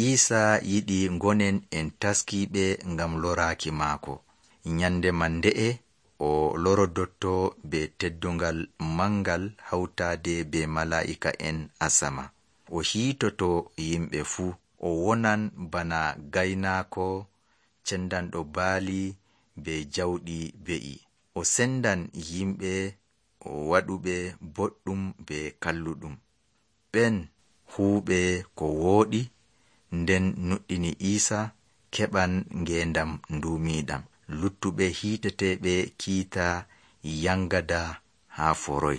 Iisaa yiɗi ngonen en taskiiɓe ngam loraaki maako. Nyande man nde'e o lorodotto be teddungal mangal hawtaade be malaa'ika'en asama. O hiitoto yimɓe fuu. O wonan bana gaynaako cendanɗo baali be jawɗi be'i. O sendan yimɓe waɗuɓe boɗɗum be kalluɗum. Ɓen huuɓe ko wooɗi nden nuɗɗini Iisaa keɓan ngeendam nduumiiɗam. Luttuɓe hiiteteeɓe kiita yangada haa foroy.